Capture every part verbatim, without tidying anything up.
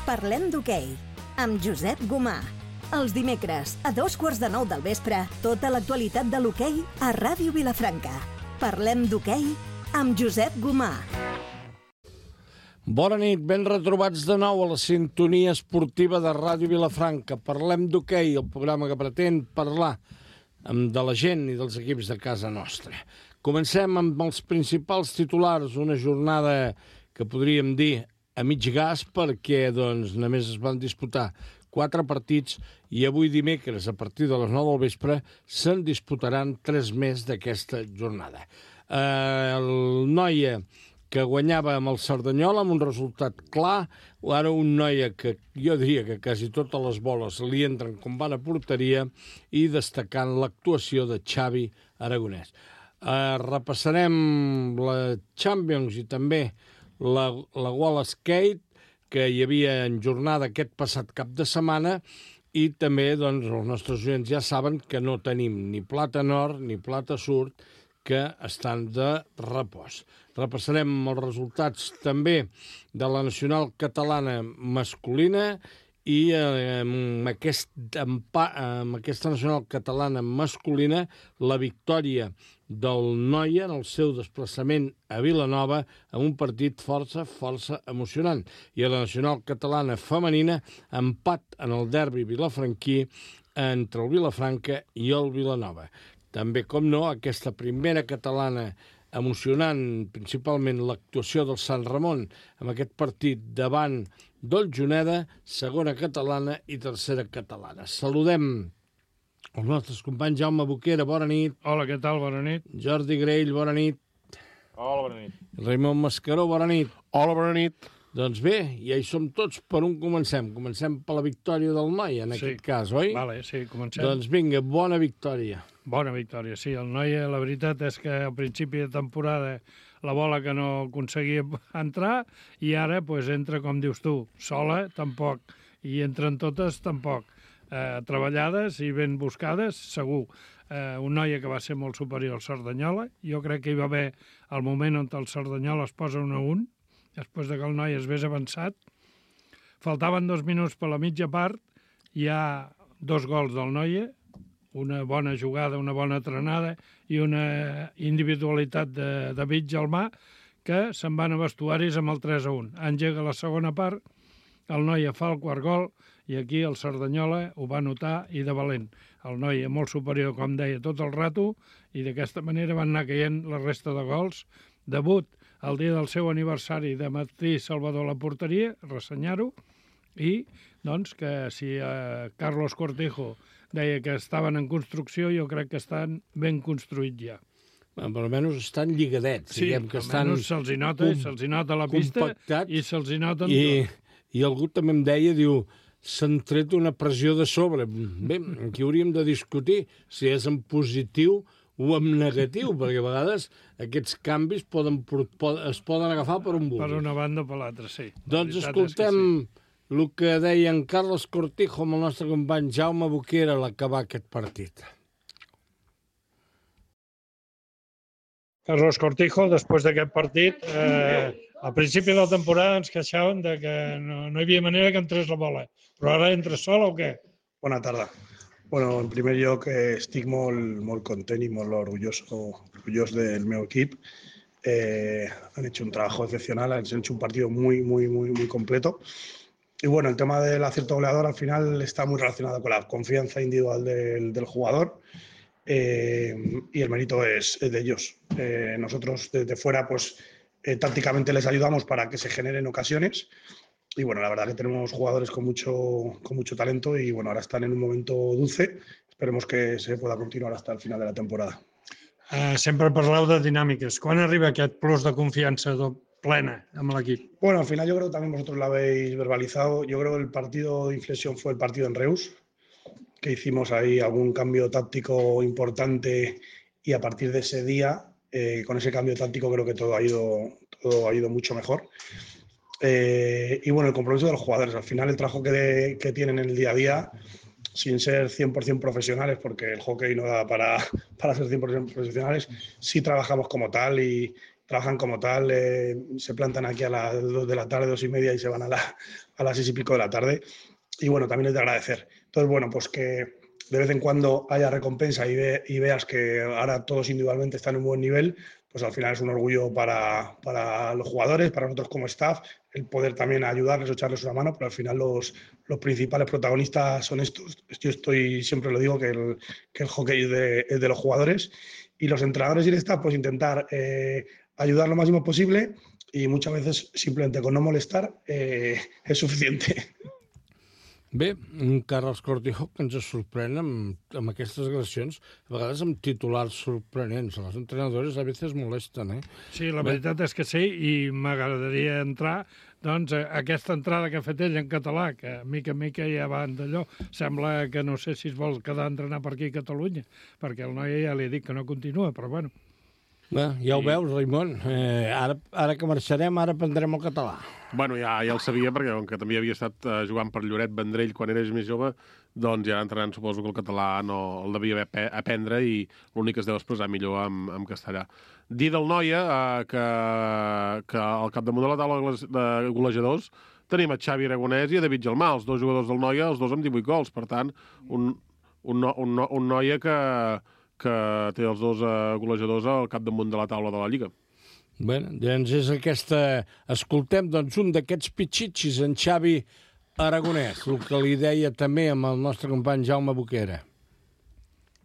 Parlem d'hoquei, amb Josep Gomà. Els dimecres, a dos quarts de nou del vespre, tota l'actualitat de l'hoquei a Ràdio Vilafranca. Parlem d'hoquei amb Josep Gomà. Bona nit, ben retrobats de nou a la sintonia esportiva de Ràdio Vilafranca. Parlem d'hoquei, el programa que pretén parlar de la gent i dels equips de casa nostra. Comencem amb els principals titulars, una jornada que podríem dir a mig gas perquè doncs, només es van disputar quatre partits i avui dimecres, a partir de les nou del vespre, se'n disputaran tres més d'aquesta jornada. Eh, el Noia, que guanyava amb el Cerdanyola amb un resultat clar, ara un Noia que jo diria que quasi totes les boles li entren com van a porteria i destacant l'actuació de Xavi Aragonès. Eh, repassarem la Champions i també la, la Wall Skate, que hi havia en jornada aquest passat cap de setmana, i també doncs, els nostres oients ja saben que no tenim ni plata nord ni plata sud, que estan de repòs. Repassarem els resultats també de la nacional catalana masculina i eh, amb, aquest, amb, amb aquesta nacional catalana masculina la victòria del Noia en el seu desplaçament a Vilanova amb un partit força, força emocionant. I a la nacional catalana femenina empat en el derbi vilafranquí entre el Vilafranca i el Vilanova. També, com no, aquesta primera catalana emocionant, principalment l'actuació del Sant Ramon amb aquest partit davant del Juneda, segona catalana i tercera catalana. Saludem els nostres companys. Jaume Boquera, bona nit. Hola, què tal? Bona nit. Jordi Grell, bona nit. Hola, bona nit. Raimon Mascaró, bona nit. Hola, bona nit. Doncs bé, ja hi som tots. Per on comencem? Comencem per la victòria del Noia, en sí. aquest cas, oi? Vale, sí, comencem. Doncs vinga, bona victòria. Bona victòria, sí. El Noia, la veritat és que al principi de temporada la bola que no aconseguia entrar i ara pues, entra, com dius tu, sola, tampoc. I entren totes, tampoc. Eh, treballades i ben buscades, segur. Eh, un Noia que va ser molt superior al Cerdanyola. Jo crec que hi va haver el moment on el Cerdanyola es posa un a un, després de que el Noia es vés avançat. Faltaven dos minuts per la mitja part, hi ha dos gols del Noia, una bona jugada, una bona trenada i una individualitat de David Gelmà, que se'n van a vestuaris amb el tres a un. Engega la segona part, el Noia fa el quart gol i aquí el Cerdanyola ho va notar i de valent. El Noia molt superior, com deia, tot el rato i d'aquesta manera van anar caient la resta de gols. Debut el dia del seu aniversari de Martí Salvador a la porteria, ressenyar-ho, i doncs que si eh, Carlos Cortijo deia que estaven en construcció, jo crec que estan ben construïts ja. Bueno, per almenys estan lligadets. Sí, diguem que estan almenys se'ls hi nota, com, se'ls hi nota la pista i se'ls hi nota I, tot. I algú també em deia, diu, s'han tret una pressió de sobre. Bé, aquí hauríem de discutir si és en positiu o en negatiu, perquè a vegades aquests canvis poden, poden, es poden agafar per un bus. Per una banda o per l'altra, sí. Doncs escoltem el que deia en Carlos Cortijo amb el nostre company Jaume Boquera a l'acabar aquest partit. Carlos Cortijo, després d'aquest partit, eh, al principi de la temporada ens queixàvem de que no, no hi havia manera que entrés la bola. Però ara entra sola o què? Bona tarda. Bueno, en primer lloc eh, estic molt, molt content i molt orgulloso, orgullós del meu equip. Eh, han hecho un trabajo excepcional, han hecho un partido muy, muy, muy, muy completo. Y bueno, el tema del acierto goleador al final está muy relacionado con la confianza individual del, del jugador eh, y el mérito es, es de ellos. Eh, nosotros desde fuera pues eh, tácticamente les ayudamos para que se generen ocasiones y bueno, la verdad que tenemos jugadores con mucho, con mucho talento y bueno, ahora están en un momento dulce. Esperemos que se pueda continuar hasta el final de la temporada. Uh, sempre parleu de dinàmiques. Quan arriba aquest plus de confiança plena amb l'equip? Bueno, al final yo creo que también vosotros lo habéis verbalizado. Yo creo que el partido de inflexión fue el partido en Reus, que hicimos ahí algún cambio táctico importante y a partir de ese día, eh, con ese cambio táctico creo que todo ha ido, todo ha ido mucho mejor. Eh, y bueno, el compromiso de los jugadores. Al final el trabajo que, de, que tienen en el día a día, sin ser cien por cien profesionales, porque el hockey no da para, para ser cien por cien profesionales, sí trabajamos como tal y, trabajan como tal, eh, se plantan aquí a las dos de la tarde, dos y media y se van a, la, a las seis y pico de la tarde. Y bueno, también es de agradecer. Entonces, bueno, pues que de vez en cuando haya recompensa y, ve, y veas que ahora todos individualmente están en un buen nivel, pues al final es un orgullo para, para los jugadores, para nosotros como staff, el poder también ayudarles o echarles una mano, pero al final los, los principales protagonistas son estos. Yo estoy, siempre lo digo, que el, que el hockey es de, es de los jugadores, y los entrenadores y el staff, pues intentar eh, ayudar lo máximo posible, y muchas veces simplemente con no molestar eh, és suficiente. Bé, un Carles Cortijo que ens sorprèn amb, amb aquestes agressions, a vegades amb titulars sorprenents. Els entrenadors a vegades molesten, eh? Sí, la veritat és que sí, i m'agradaria entrar doncs, aquesta entrada que ha fet ell en català, que mica en mica ja van d'allò. Sembla que no sé si es vol quedar a entrenar per aquí a Catalunya, perquè el noi ja li he dit que no continua, però bueno. Bé, ja ho veus, Raimon. Eh, ara, ara que marxarem, ara aprendrem el català. Bueno, ja, ja el sabia, perquè com que també havia estat uh, jugant per Lloret Vendrell quan eres més jove, doncs ja entrenant suposo que el català no el devia haver aprendre i l'únic que es deu expressar millor en, en castellà. Dir del Noia uh, que, que al capdamunt de la taula de golejadors tenim a Xavi Aragonès i a David Gelmà, els dos jugadors del Noia, els dos amb divuit gols. Per tant, un, un, un, un Noia que... que té els dos uh, golejadors al capdamunt de la taula de la Lliga. Bé, doncs és aquesta... Escoltem doncs, un d'aquests pitxitxis, en Xavi Aragonès, el que li deia també amb el nostre company Jaume Boquera.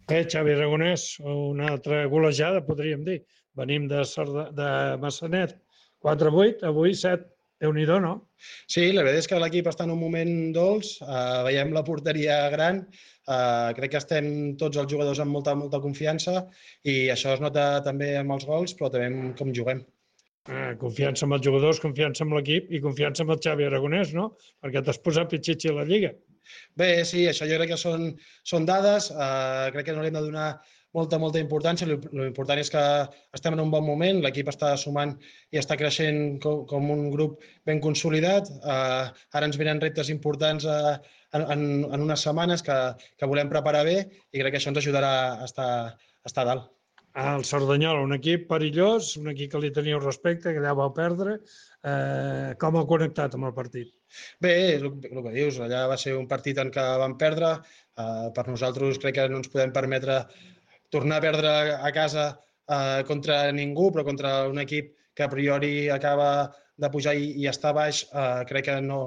Bé, Xavi Aragonès, una altra golejada, podríem dir. Venim de, Sarda, de Massanet, quatre vuit, avui set. Déu-n'hi-do, no? Sí, la veritat és que l'equip està en un moment dolç, uh, veiem la porteria gran, uh, crec que estem tots els jugadors amb molta, molta confiança i això es nota també amb els gols, però també amb com juguem. Uh, confiança amb els jugadors, confiança amb l'equip i confiança amb el Xavi Aragonès, no? Perquè t'has posat pitxitxi a la Lliga. Bé, sí, això jo crec que són, són dades, uh, crec que no li hem de donar molta, molta importància. L'important és que estem en un bon moment, l'equip està sumant i està creixent com, com un grup ben consolidat. Uh, ara ens venen reptes importants uh, en, en unes setmanes que, que volem preparar bé i crec que això ens ajudarà a estar, a estar a dalt. El Cerdanyola, un equip perillós, un equip que li teníeu respecte, que allà vau perdre. Eh, com ha connectat amb el partit? Bé, el, el que dius, allà va ser un partit en què vam perdre. Uh, per nosaltres crec que no ens podem permetre tornar a perdre a casa eh, contra ningú, però contra un equip que a priori acaba de pujar i, i està baix, eh, crec que no,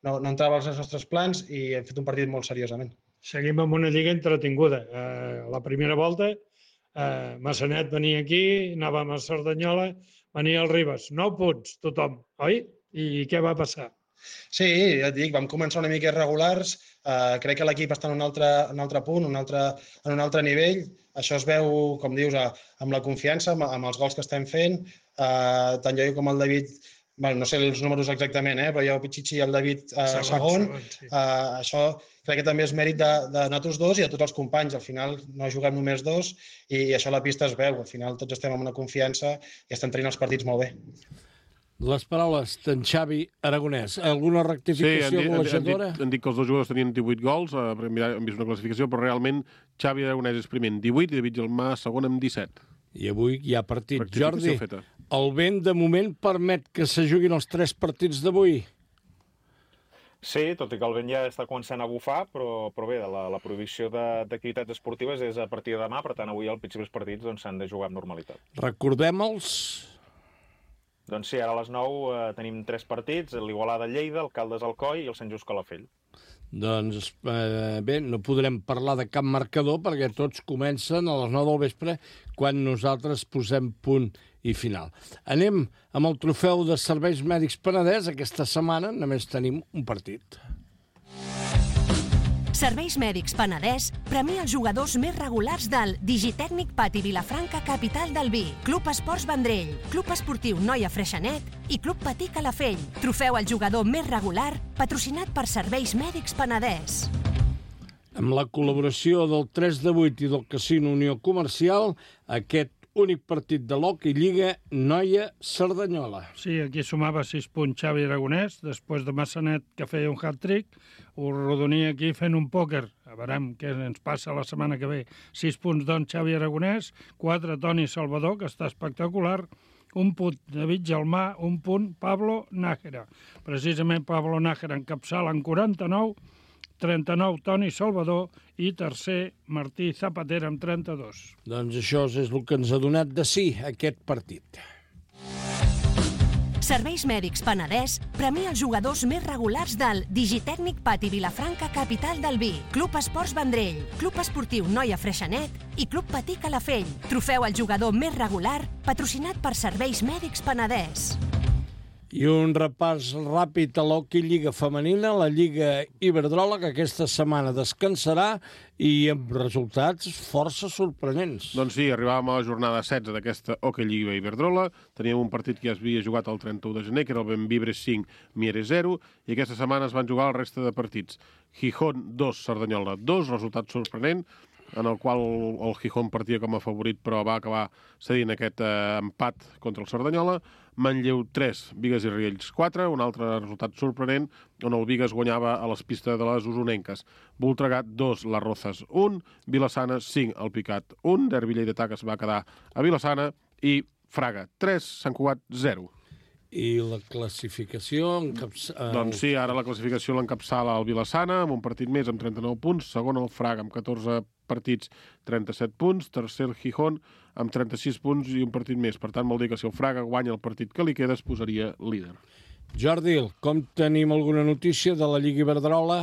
no, no entrava als nostres plans i hem fet un partit molt seriosament. Seguim amb una lliga entretinguda. Eh, la primera volta, eh, Massanet venia aquí, anàvem a Cerdanyola, venia el Ribes. Nou punts, tothom, oi? I què va passar? Sí, ja et dic, vam començar una mica irregulars, eh, crec que l'equip està en un altre, en un altre punt, un altre, en un altre nivell. Això es veu, com dius, a, amb la confiança, amb, amb els gols que estem fent. Eh, tant jo com el David, bueno, no sé els números exactament, eh, però jo, Pichichi i el David eh, segon. segon, segon sí. eh, això crec que també és mèrit de, de nosaltres dos i de tots els companys. Al final no juguem només dos i, i això a la pista es veu. Al final tots estem amb una confiança i estem tenint els partits molt bé. Les paraules d'en Xavi Aragonès. Alguna rectificació sí, golejadora? Han, han, han dit que els dos jugadors tenien divuit gols, eh, hem vist una classificació, però realment Xavi Aragonès és primer amb divuit i David Gelmà segon amb disset. I avui hi ha partit. Jordi, feta. El vent de moment permet que se juguin els tres partits d'avui? Sí, tot i que el vent ja està començant a bufar, però, però bé, la, la prohibició d'activitats esportives és a partir de demà, per tant avui els principals partits s'han doncs, de jugar amb normalitat. Recordem-els... Doncs sí, ara a les nou eh, tenim tres partits, l'Igualada-Lleida, el Caldes-Alcoi i el Sant Just Calafell. Doncs eh, bé, no podrem parlar de cap marcador perquè tots comencen a les nou del vespre quan nosaltres posem punt i final. Anem amb el trofeu de Serveis Mèdics Penedès. Aquesta setmana només tenim un partit. Serveis Mèdics Penedès premia els jugadors més regulars del Digitècnic Pati Vilafranca Capital del Vi, Club Esports Vendrell, Club Esportiu Noia Freixenet i Club Patí Calafell. Trofeu al jugador més regular, patrocinat per Serveis Mèdics Penedès. Amb la col·laboració del tres de vuit i del Casino Unió Comercial, aquest únic partit de l'Hockey Lliga Noia-Cerdanyola. Sí, aquí sumava sis punts Xavi Aragonès, després de Massanet, que feia un hat-trick, ho rodonia aquí fent un pòquer. A veurem què ens passa la setmana que ve. Sis punts, doncs, Xavi Aragonès, quatre Toni Salvador, que està espectacular, un punt David Gelmà, un punt Pablo Nájera. Precisament Pablo Nájera encapçala en quaranta-nou, trenta-nou Toni Salvador i tercer Martí Zapatera amb trenta-dos. Doncs això és el que ens ha donat de sí aquest partit. Serveis Mèdics Penedès premia els jugadors més regulars del Digitècnic Pati Vilafranca, capital del vi, Club Esports Vendrell, Club Esportiu Noia Freixenet i Club Patí Calafell. Trofeu al jugador més regular, patrocinat per Serveis Mèdics Penedès. I un repàs ràpid a l'hoquei Lliga Femenina, la Lliga Iberdrola, que aquesta setmana descansarà i amb resultats força sorprenents. Doncs sí, arribàvem a la jornada setze d'aquesta hoquei Lliga Iberdrola. Teníem un partit que ja es havia jugat el trenta-u de gener, que era el Bemvibre cinc, Mieres zero, i aquesta setmana es van jugar la resta de partits. Gijón dos, Cerdanyola dos, resultat sorprenent, en el qual el Gijón partia com a favorit, però va acabar cedint aquest eh, empat contra el Cerdanyola. Manlleu tres, Bigues i Riells quatre, un altre resultat sorprenent, on el Bigues guanyava a les pistes de les usonenques. Voltregà dos, Les Rozas un, Vilassana cinc, El Picat un, Derbi lleidatà que es va quedar a Vilassana, i Fraga tres, Sant Cugat zero. I la classificació... Encaps... Doncs sí, ara la classificació l'encapçala el Vilassana, amb un partit més amb trenta-nou punts, segon el Fraga amb catorze partits, trenta-set punts, tercer el Gijón amb trenta-sis punts i un partit més. Per tant, vol dir que si el Fraga guanya el partit que li queda es posaria líder. Jordi, com tenim alguna notícia de la Lliga Iberdrola?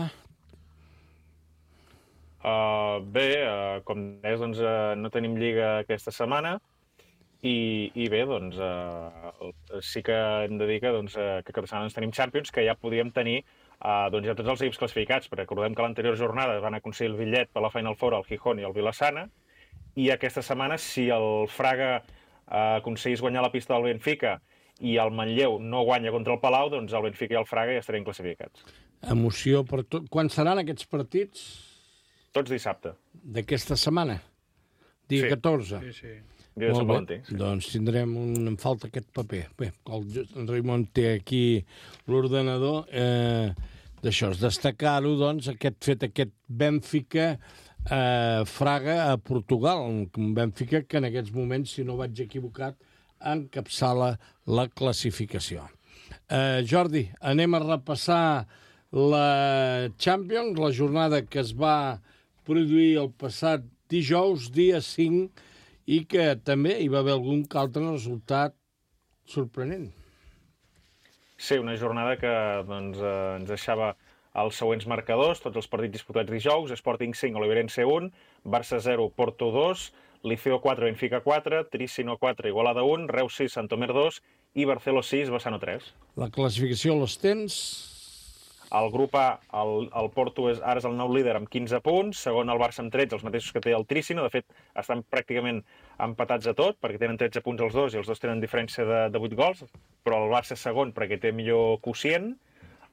Uh, bé, uh, com deies, doncs, uh, no tenim lliga aquesta setmana. I, i bé, doncs, uh, sí que hem de dir que, doncs, uh, que aquesta setmana tenim Champions, que ja podíem tenir uh, doncs, ja tots els equips classificats, perquè recordem que l'anterior jornada van aconseguir el bitllet per la Final Four al Gijón i al Vilassana, i aquesta setmana, si el Fraga uh, aconseguís guanyar la pista del Benfica i el Manlleu no guanya contra el Palau, doncs el Benfica i el Fraga ja estarien classificats. Emoció per tot. Quan seran aquests partits? Tots dissabte. D'aquesta setmana? Dia Sí. catorze? Sí, sí. Dia de Sant Valentí. Sí. Doncs tindrem un... Em falta aquest paper. Bé, el Raimon té aquí l'ordenador. Eh, D'això, és destacar-ho, doncs, aquest fet, aquest Benfica eh, Fraga a Portugal. Un Benfica que en aquests moments, si no vaig equivocat, encapçala la classificació. Eh, Jordi, anem a repassar la Champions, la jornada que es va produir el passat dijous, dia cinc, i que també hi va haver algun altre resultat sorprenent. Sí, una jornada que doncs, eh, ens deixava els següents marcadors, tots els partits disputats dijous: Sporting cinc, Oliveirense un, Barça zero, Porto dos, Liceo quatre, Benfica quatre, Trissino quatre, Igualada un, Reus sis, Santomer dos i Barceló sis, Bassano tres. La classificació les tens? El grup A, el, el Porto és, ara és el nou líder amb quinze punts, segon el Barça amb tretze, els mateixos que té el Trissino. De fet, estan pràcticament empatats a tot, perquè tenen tretze punts els dos i els dos tenen diferència de, de vuit gols, però el Barça és segon perquè té millor quocient,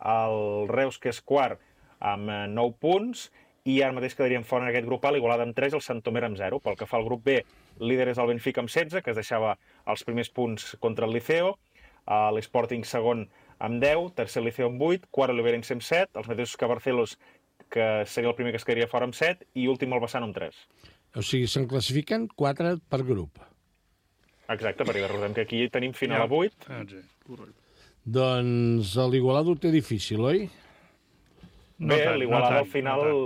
el Reus, que és quart, amb nou punts, i ara mateix quedarien fora en aquest grup A l'Igualada amb tres i el Santomer amb zero. Pel que fa al grup B, líder és el Benfica amb setze, que es deixava els primers punts contra el Liceo, l'Sporting segon amb deu, tercer Liceo amb vuit, quart Oliveirense amb set, els mateixos que Barcelos, que seria el primer que es quedaria fora amb set, i últim el Bassano amb tres. O sigui, se'n classifiquen quatre per grup. Exacte, perquè recordem que aquí tenim final a vuit. Ah, sí. Doncs l'Igualada ho té difícil, oi? No Bé, tant, l'Igualada no al tant, final no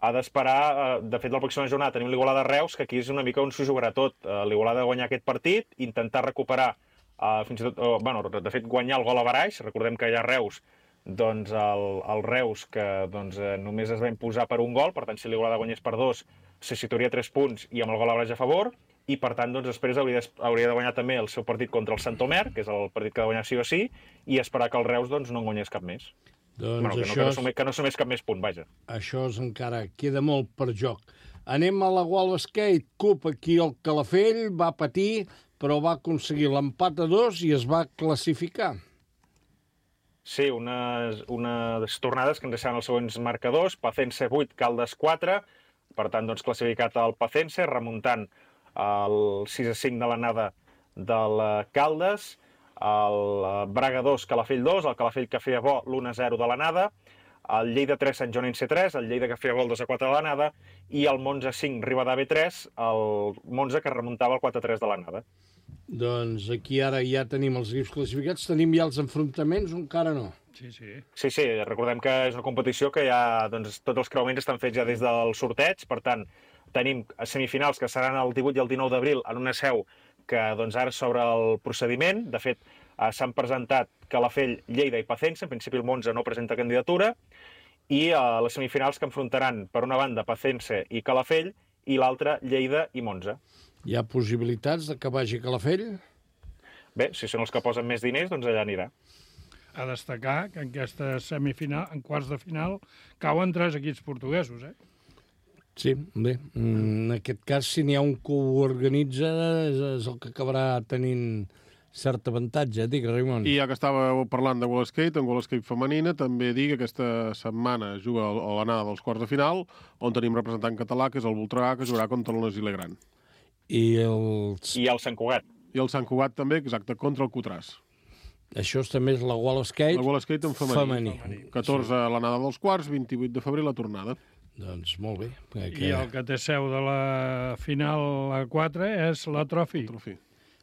ha d'esperar. De fet, la pròxima jornada tenim l'Igualada Reus, que aquí és una mica on s'ho jugarà tot. L'Igualada ha de guanyar aquest partit, intentar recuperar, uh, fins i tot, uh, bueno, de fet, guanyar el gol a baraix. Recordem que hi ha Reus, doncs el, el Reus, que doncs, eh, només es va imposar per un gol, per tant, si l'Igualada guanyés per dos, se situaria tres punts i amb el gol a baraix a favor, i per tant, doncs, després hauria de, hauria de guanyar també el seu partit contra el Santomer, que és el partit que ha de guanyar sí o sí, i esperar que el Reus doncs, no en guanyés cap més. Doncs bueno, que, això no, que, no és... sumés, que no sumés cap més punt, vaja. Això és encara queda molt per joc. Anem a la World Skate Cup. Aquí el Calafell va patir, però va aconseguir l'empat a dos i es va classificar. Sí, unes, unes tornades que ens deixaven els següents marcadors. Pacense vuit, Caldes quatre, per tant, doncs, classificat el Pacense, remuntant el sis a cinc de l'anada del Caldes, el Braga dos, Calafell dos, el Calafell que feia bo l'u a zero de l'anada, el Lleida tres, Sant Joanense tres, el Lleida que feia bo el dos a quatre de l'anada, i el Monza cinc, Rivadavia tres, el Monza que remuntava el quatre a tres de l'anada. Doncs aquí ara ja tenim els equips classificats, tenim ja els enfrontaments o encara no? Sí, sí. Sí, sí, recordem que és una competició que ja, doncs, tots els creuaments estan fets ja des del sorteig, per tant, tenim semifinals que seran el divuit i el dinou d'abril en una seu que doncs, ara s'obre el procediment. De fet, eh, s'han presentat Calafell, Lleida i Pacense. En principi el Monza no presenta candidatura. I eh, les semifinals que enfrontaran, per una banda, Pacense i Calafell, i l'altra, Lleida i Monza. Hi ha possibilitats de que vagi Calafell? Bé, si són els que posen més diners, doncs allà anirà. A destacar que en aquesta semifinal, en quarts de final, cauen tres equips portuguesos, eh? Sí, bé, en aquest cas, si n'hi ha un que ho organitza, és, és el que acabarà tenint cert avantatge, dic, Raimon. I ja que estàveu parlant de Wall Skate, en Wall Skate femenina, també dic que aquesta setmana juga a l'anada dels quarts de final, on tenim representant català, que és el Voltregà, que jugarà contra el Nosilè Gran. I els... I el Sant Cugat. I el Sant Cugat també, exacte, contra el Cutràs. Això també és la Wall Skate, la Wall Skate en femení. femení. catorze a l'anada dels quarts, vint-i-vuit de febrer la tornada. Doncs molt bé. Que... I el que té seu de la final a quatre és la Trophy, Trophy.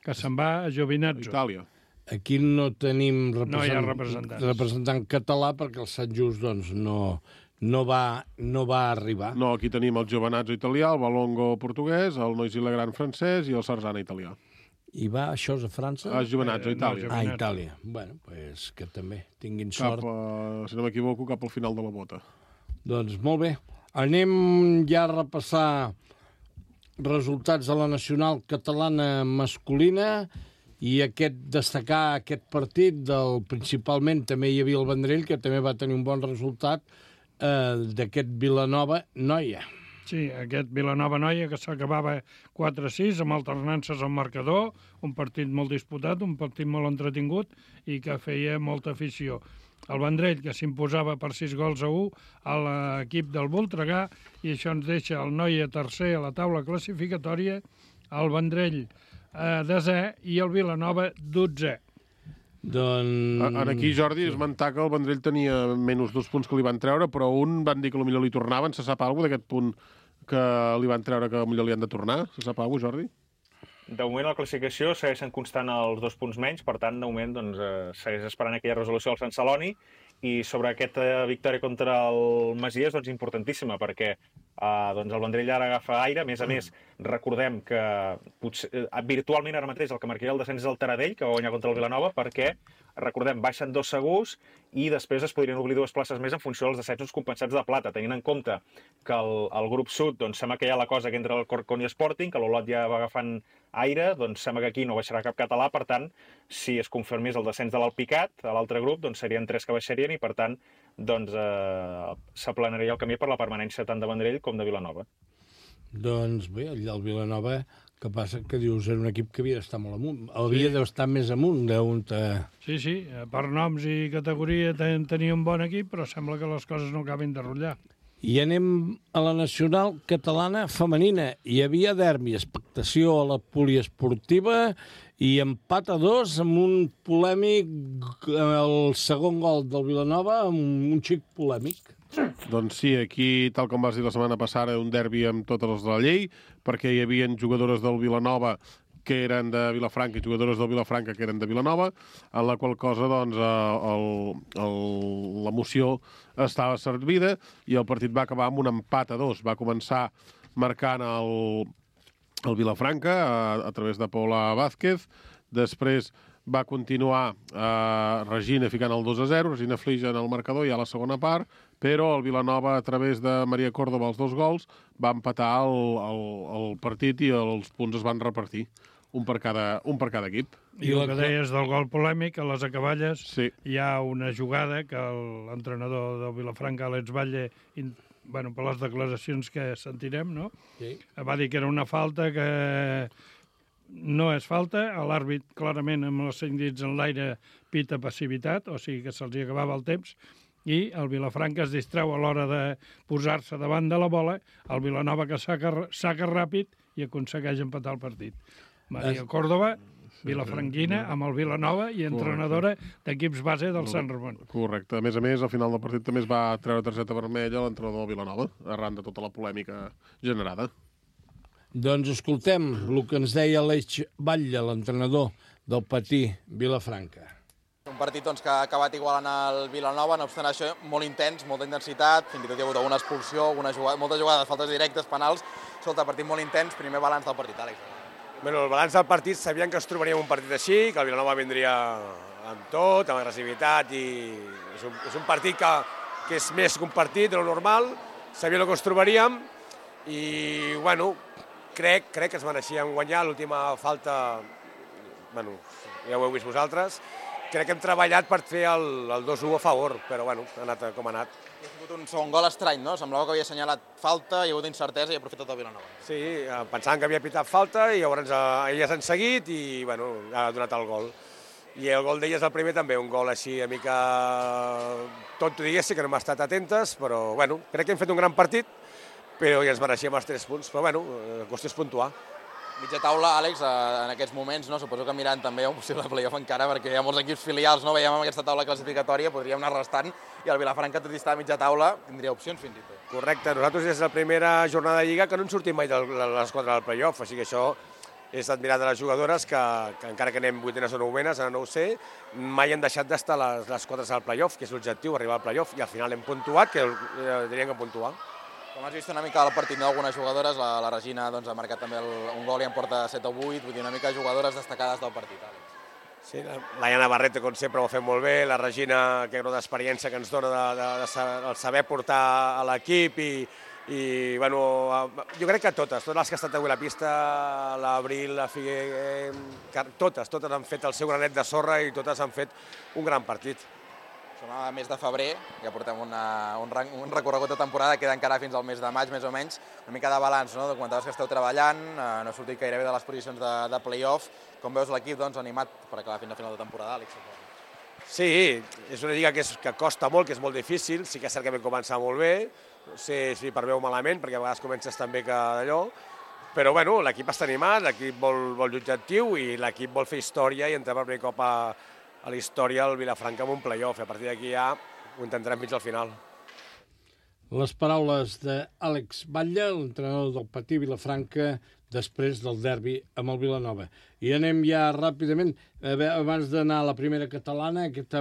que se'n va a Giovinazzo. Itàlia. Aquí no tenim representant, No hi ha representants. representant català perquè el Sant Just doncs, no, no, va, no va arribar. No, aquí tenim el Giovinazzo italià, el Valongo portuguès, el Noisy-le Grand francès i el Sarzana italià. I va, això és a França? A Giovinazzo, Eh, no, Itàlia. Giovinazzo. Ah, Itàlia. Bueno, pues que també tinguin Cap, sort. a, si no m'equivoco, cap al final de la bota. Doncs molt bé. Anem ja a repassar resultats de la nacional catalana masculina i aquest destacar aquest partit del principalment també hi havia el Vendrell, que també va tenir un bon resultat eh, d'aquest Vilanova-Noia. Sí, aquest Vilanova-Noia que s'acabava quatre a sis amb alternances al marcador, un partit molt disputat, un partit molt entretingut i que feia molta afició. El Vendrell, que s'imposava per sis gols a u a l'equip del Voltregà, i això ens deixa el Noia tercer a la taula classificatòria, el Vendrell eh, desè i el Vilanova dotzè. Doncs... En aquí, Jordi, esmentar que el Vendrell tenia menys dos punts que li van treure, però un van dir que potser li tornaven. Se sap alguna cosa d'aquest punt que li van treure que potser li han de tornar? Se sap alguna cosa, Jordi? De moment, la classificació segueixen constant els dos punts menys, per tant, de moment, doncs, eh, segueix esperant aquella resolució al Sant Celoni, i sobre aquesta victòria contra el Masies, doncs, importantíssima, perquè eh, doncs el Vendrell ara agafa aire. A més a més, recordem que potser, eh, virtualment ara mateix el que marcaria el descens és el Taradell, que va guanyar contra el Vilanova, perquè, recordem, baixen dos segurs i després es podrien obrir dues places més en funció dels descensos compensats de plata, tenint en compte que el, el grup sud, doncs, sembla que hi ha la cosa que entre el Corcón i Sporting, que l'Olot ja va agafant aire, doncs sembla que aquí no baixarà cap català, per tant, si es confirmés el descens de l'Alpicat, a l'altre grup, doncs serien tres que baixarien i, per tant, doncs eh, s'aplanaria el camí per la permanència tant de Vendrell com de Vilanova. Doncs bé, el Vilanova, que passa que dius era un equip que havia d'estar molt amunt. Havia sí. d'estar més amunt d'on... Te... Sí, sí, per noms i categoria ten, tenia un bon equip, però sembla que les coses no acabin de rotllar. I anem a la nacional catalana femenina. Hi havia derbi, expectació a la poliesportiva i empat a dos amb un polèmic, el segon gol del Vilanova, amb un xic polèmic. Doncs sí, aquí, tal com vas dir la setmana passada, un derbi amb totes les de la llei, perquè hi havia jugadores del Vilanova que eren de Vilafranca i jugadores del Vilafranca que eren de Vilanova, en la qual cosa, doncs, l'emoció estava servida i el partit va acabar amb un empat a dos. Va començar marcant el, el Vilafranca a, a través de Paula Vázquez, després va continuar eh, Regina ficant el dos a zero, Regina Flija en el marcador ja a la segona part, però el Vilanova, a través de Maria Córdoba, els dos gols, va empatar el, el, el partit i els punts es van repartir, un per cada, un per cada equip. I el que deies del gol polèmic, a les acaballes sí. hi ha una jugada que l'entrenador del Vilafranca, Àlex Batlle, in, bueno, per les declaracions que sentirem, no? Sí. Va dir que era una falta que no és falta, l'àrbit clarament amb els cinc dits en l'aire pita passivitat, o sigui que se'ls acabava el temps, i el Vilafranca es distreu a l'hora de posar-se davant de la bola, el Vilanova que saca, saca ràpid i aconsegueix empatar el partit. Maria Córdoba, vilafranquina, amb el Vilanova i entrenadora d'equips base del Sant Ramon. Correcte. A més a més, al final del partit també es va treure targeta vermella a l'entrenador del Vilanova, arran de tota la polèmica generada. Doncs escoltem el que ens deia Aleix Batlle, l'entrenador del Patí Vilafranca. Un partit doncs, que ha acabat igualant el Vilanova, no obstant això, molt intens, molta intensitat, fins i tot hi ha hagut alguna expulsió, alguna jugada, moltes jugades, faltes directes, penals. Escolta, partit molt intens, primer balanç del partit, Àlex. Bueno, el balanç del partit, sabíem que ens trobaríem un partit així, que el Vilanova vindria amb tot, amb agressivitat, i és un, és un partit que, que és més que un partit de lo normal, sabíem el que ens trobaríem, i, bueno, crec, crec que ens mereixíem guanyar l'última falta, bueno, ja ho heu vist vosaltres, crec que hem treballat per fer el, el dos a u a favor, però bueno, ha anat com ha anat. Ha sigut un segon gol estrany, no? Semblava que havia assenyalat falta, hi ha hagut incertesa i ha aprofitat el Vilanova. Sí, pensàvem que havia pitat falta i llavors elles han seguit i bueno, ha donat el gol. I el gol d'elles, el primer, també, un gol així una mica tot diguéssim, que no hem estat atentes, però bueno, crec que hem fet un gran partit, però ja ens mereixíem els tres punts, però bueno, la qüestió és puntuar. Mitja taula, Àlex, en aquests moments, no? Suposo que mirant també un possible playoff encara, perquè hi ha molts equips filials, no? Veiem amb aquesta taula classificatòria, podríem anar restant, i el Vilafranca, tot i estar a mitja taula, tindria opcions fins i tot. Correcte, nosaltres és la primera jornada de Lliga que no en sortim mai de les quatre del playoff, així que això és admirar de les jugadores que, que encara que anem vuitenes o novenes, ara no ho sé, mai han deixat d'estar les, les quatre al playoff, que és l'objectiu, arribar al playoff, i al final hem puntuat, que eh, diríem que puntuar. Com has vist una mica el partit d'algunes jugadores, la, la Regina doncs, ha marcat també el, un gol i en porta set o vuit, vull dir una mica jugadores destacades del partit, Àlex. Sí, la, la Iana Barreto, com sempre, ho ha fet molt bé, la Regina, que gran experiència que ens dona de, de, de saber, saber portar a l'equip i, i bueno, jo crec que totes, totes les que han estat avui a la pista, l'Abril, la Figuer, eh, totes, totes han fet el seu granet de sorra i totes han fet un gran partit. Som a mes de febrer, ja portem una, un, un recorregut de temporada, queda encara fins al mes de maig, més o menys, una mica de balanç, no? Comentaves que esteu treballant, eh, no ha sortit gairebé de les posicions de, de play-off. Com veus l'equip doncs, animat per acabar fins a final de temporada, Àlex? Sí, és una lliga que, és, que costa molt, que és molt difícil, sí que és cert que vam començar molt bé, no sé si per bé o malament, perquè a vegades comences també que d'allò, però bueno, l'equip està animat, l'equip vol, vol l'objectiu i l'equip vol fer història i entrar per primer cop a a la història el Vilafranca amb un play-off. A partir d'aquí ja ho intentarem fins al final. Les paraules d'Àlex Batlle, l'entrenador del Patí Vilafranca, després del derbi amb el Vilanova. I anem ja ràpidament, abans d'anar a la primera catalana, aquest,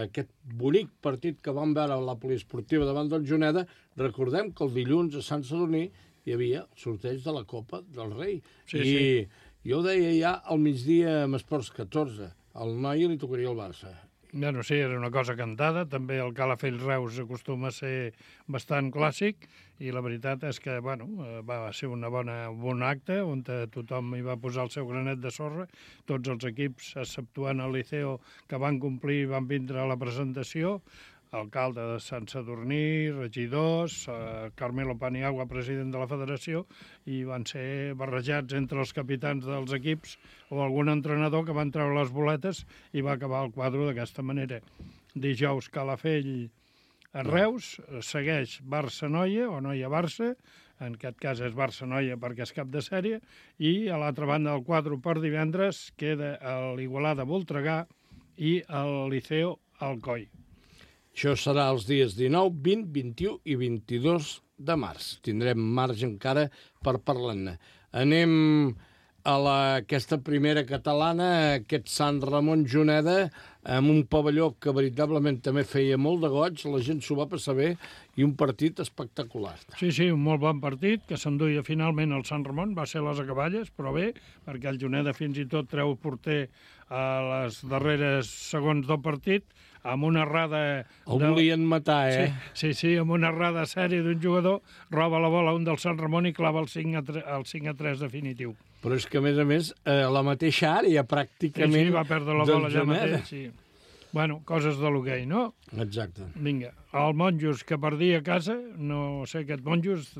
aquest bonic partit que vam veure a la poliesportiva davant del Juneda, recordem que el dilluns a Sant Sadurní hi havia el sorteig de la Copa del Rei. Sí, I sí. Jo ho deia ja al migdia amb Esports catorze. Al Noia li tocaria el Barça. Bueno, sí, era una cosa cantada. També el Calafell-Reus acostuma a ser bastant clàssic i la veritat és que, bueno, va ser una bona, un bon acte on tothom hi va posar el seu granet de sorra. Tots els equips, exceptuant el Liceo, que van complir i van vindre a la presentació. Alcalde de Sant Sadurní, regidors, eh, Carmelo Paniagua, president de la federació, i van ser barrejats entre els capitans dels equips o algun entrenador que van treure les boletes i va acabar el quadre d'aquesta manera. Dijous Calafell a Reus, segueix Barça-Noia o Noia-Barça, en aquest cas és Barça-Noia perquè és cap de sèrie, i a l'altra banda del quadre per divendres queda l'Igualada-Voltregà i el Liceo-Alcoi. Això serà els dies dinou, vint, vint-i-u i vint-i-dos de març. Tindrem marge encara per parlar-ne. Anem a la, aquesta primera catalana, aquest Sant Ramon Juneda, amb un pavelló que veritablement també feia molt de goig, la gent s'ho va passar bé, i un partit espectacular. Sí, sí, un molt bon partit, que s'enduia finalment el Sant Ramon, va ser les acaballes, però bé, perquè el Juneda fins i tot treu porter a les darreres segons del partit, amb una errada... El volien matar, eh? Sí, sí, sí, amb una errada sèrie d'un jugador, roba la bola un del Sant Ramon i clava el cinc a tres definitiu. Però és que, a més a més, a la mateixa àrea, pràcticament... Sí, sí, va perdre la bola allà mateix, sí. Bueno, coses de l'hoquei, no? Exacte. Vinga, el Monjos, que perdia a casa, no sé, aquest Monjos,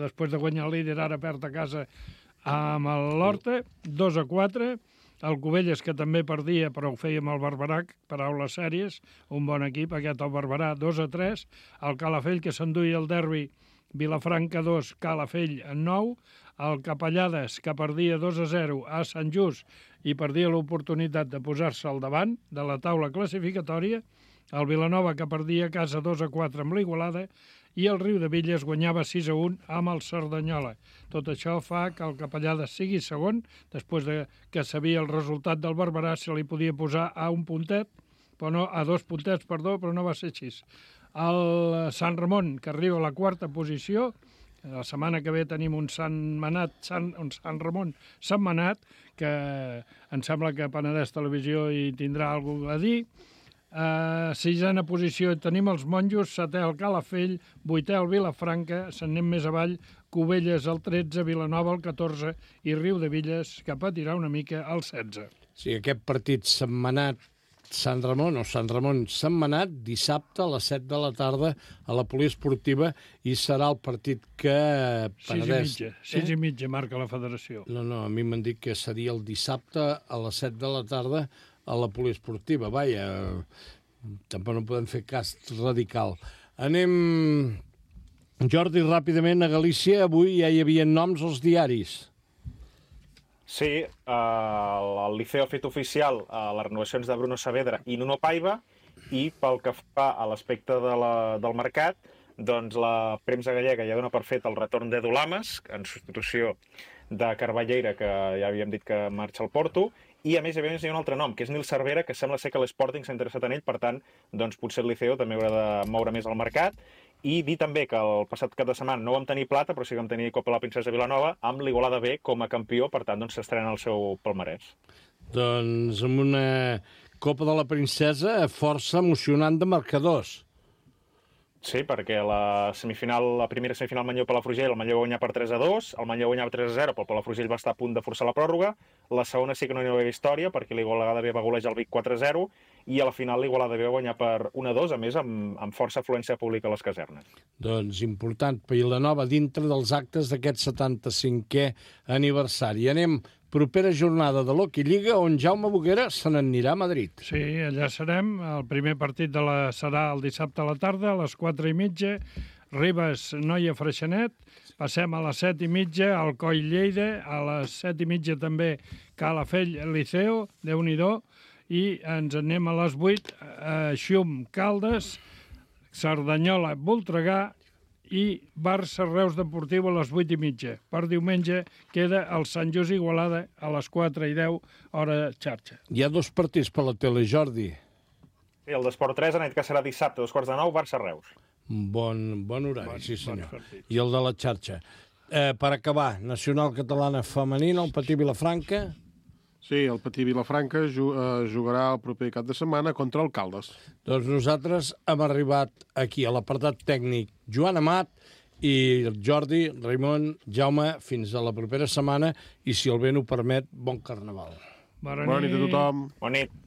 després de guanyar el líder, ara perd a casa amb l'Horta, dos a quatre... El Cubelles, que també perdia, però ho feia amb el Barberà, paraules sèries, un bon equip, aquest el Barberà, dos a tres. El Calafell, que s'enduia el derbi, Vilafranca dos, Calafell en nou. El Capellades, que perdia dos a zero a Sant Just i perdia l'oportunitat de posar-se al davant de la taula classificatòria. el Vilanova, que perdia a casa dos a quatre amb l'Igualada, i el Riudebitlles guanyava sis a un amb el Cerdanyola. Tot això fa que el Capellada sigui segon, després de que sabia el resultat del Barberà, se li podia posar a un puntet, però no, a dos puntets, perdó, però no va ser així. El Sant Ramon, que arriba a la quarta posició, la setmana que ve tenim un Sant Manat, Sant, un Sant Ramon Sant Manat, que em sembla que Penedès Televisió hi tindrà alguna cosa a dir. A sisena posició tenim els Monjos, setè el Calafell, vuitè el Vilafranca, se'n anem més avall, Cubelles el tretze, Vilanova el catorze i Riudebitlles, que patirà una mica el setze. Sí, aquest partit setmanat Sant Ramon o Sant Ramon setmanat, dissabte a les set de la tarda a la poliesportiva, i serà el partit que Penedès... Sis i mitja, sis eh? i mitja marca la federació. No, no, a mi m'han dit que seria el dissabte a les set de la tarda a la poliesportiva. Vaja, tampoc no podem fer cas radical. Anem, Jordi, ràpidament a Galícia. Avui ja hi havia noms als diaris. Sí, eh, el Liceo ha fet oficial eh, les renovacions de Bruno Saavedra i Nuno Paiva, i pel que fa a l'aspecte de la, del mercat, doncs la premsa gallega ja dona per fet el retorn d'Edu Lamas, en substitució de Carballeira, que ja havíem dit que marxa al Porto, i a més hi ha un altre nom, que és Nil Cervera, que sembla ser que l'Sporting s'ha interessat en ell, per tant, doncs potser el Liceo també haurà de moure més el mercat. I dir també que el passat cap de setmana no vam tenir plata, però sí que vam tenir Copa la Princesa Vilanova, amb l'Igualada B com a campió, per tant, doncs s'estrena el seu palmarès. Doncs amb una Copa de la Princesa força emocionant de marcadors. Sí, perquè la semifinal, la primera semifinal Manlleu-Palafrugell, el Manlleu va guanyar per tres a dos, el Manlleu guanyava tres a zero, però el Palafrugell va estar a punt de forçar la pròrroga. La segona sí que no hi va haver història, perquè l'Igualada B va golejar el Vic quatre a zero, i a la final l'Igualada B va guanyar per un a dos, a més amb, amb força afluència pública a les casernes. Doncs important, Vilanova dintre dels actes d'aquest setanta-cinquè aniversari. Anem, propera jornada de l'Hockey Lliga, on Jaume Boguera se n'anirà a Madrid. Sí, allà serem. El primer partit de la serà el dissabte a la tarda, a les quatre i mitja. Ribes, Noia, Freixenet. Passem a les set i mitja, Alcoi, Lleida. A les set i mitja també Calafell, Liceo, Déu-n'hi-do. I ens anem a les vuit, a Xum, Caldes, Cerdanyola, Voltregà, i Barça Reus Deportiu a les vuit i mitja. Per diumenge queda el Sant Just Igualada a les quatre i deu, hora xarxa. Hi ha dos partits per la tele, Jordi. Sí, el d'Esport tres ha dit que serà dissabte, dos quarts de nou, Barça Reus. Bon, bon horari, bon, sí senyor. Bon I el de la xarxa. Eh, per acabar, Nacional Catalana Femenina, el Patí Vilafranca. Sí, el Patí Vilafranca jugarà el proper cap de setmana contra el Caldes. Doncs nosaltres hem arribat aquí, a l'apartat tècnic. Joan Amat i Jordi, Raimon, Jaume, fins a la propera setmana, i si el vent ho permet, bon carnaval. Bona nit a tothom. Bona nit.